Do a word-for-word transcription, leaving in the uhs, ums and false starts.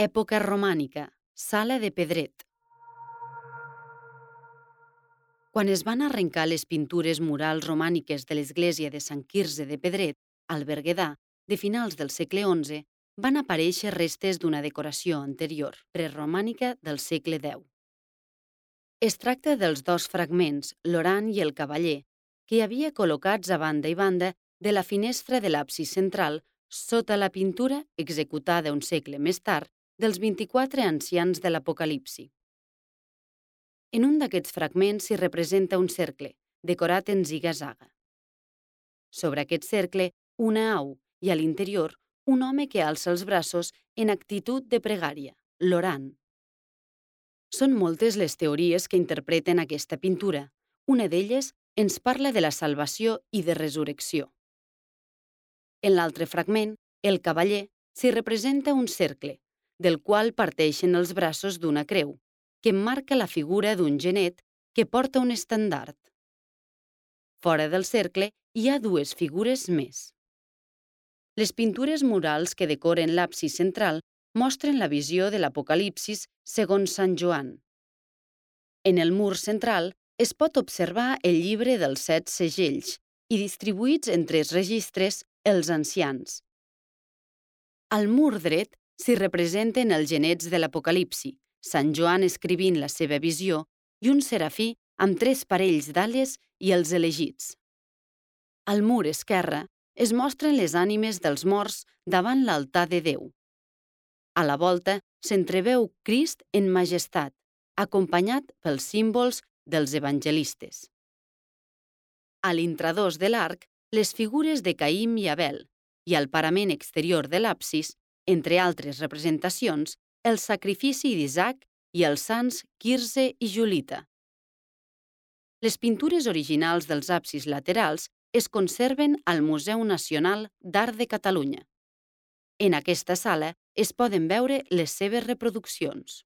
Època romànica, sala de Pedret. Quan es van arrencar les pintures murals romàniques de l'església de Sant Quirze de Pedret, al Berguedà, de finals del segle onze, van aparèixer restes d'una decoració anterior, preromànica del segle deu. Es tracta dels dos fragments, l'orant i el cavaller, que hi havia col·locats a banda i banda de la finestra de l'absis central sota la pintura executada un segle més tard dels vint-i-quatre ancians de l'Apocalipsi. En un d'aquests fragments s'hi representa un cercle, decorat en ziga-zaga. Sobre aquest cercle, una au, i a l'interior, un home que alça els braços en actitud de pregària, l'orant. Són moltes les teories que interpreten aquesta pintura. Una d'elles ens parla de la salvació i de resurrecció. En l'altre fragment, el cavaller, s'hi representa un cercle, del qual parteixen els braços d'una creu, que marca la figura d'un genet que porta un estendard. Fora del cercle hi ha dues figures més. Les pintures murals que decoren l'absis central mostren la visió de l'Apocalipsis segons Sant Joan. En el mur central es pot observar el llibre dels set segells i distribuïts en tres registres els ancians. Al mur dret s'hi representen els genets de l'Apocalipsi, Sant Joan escrivint la seva visió i un serafí amb tres parells d'ales i els elegits. Al mur esquerre es mostren les ànimes dels morts davant l'altar de Déu. A la volta s'entreveu Crist en majestat, acompanyat pels símbols dels evangelistes. A l'intradós de l'arc, les figures de Caïm i Abel, i al parament exterior de l'absis, entre altres representacions, el sacrifici d'Isaac i els sants Quirze i Julita. Les pintures originals dels absis laterals es conserven al Museu Nacional d'Art de Catalunya. En aquesta sala es poden veure les seves reproduccions.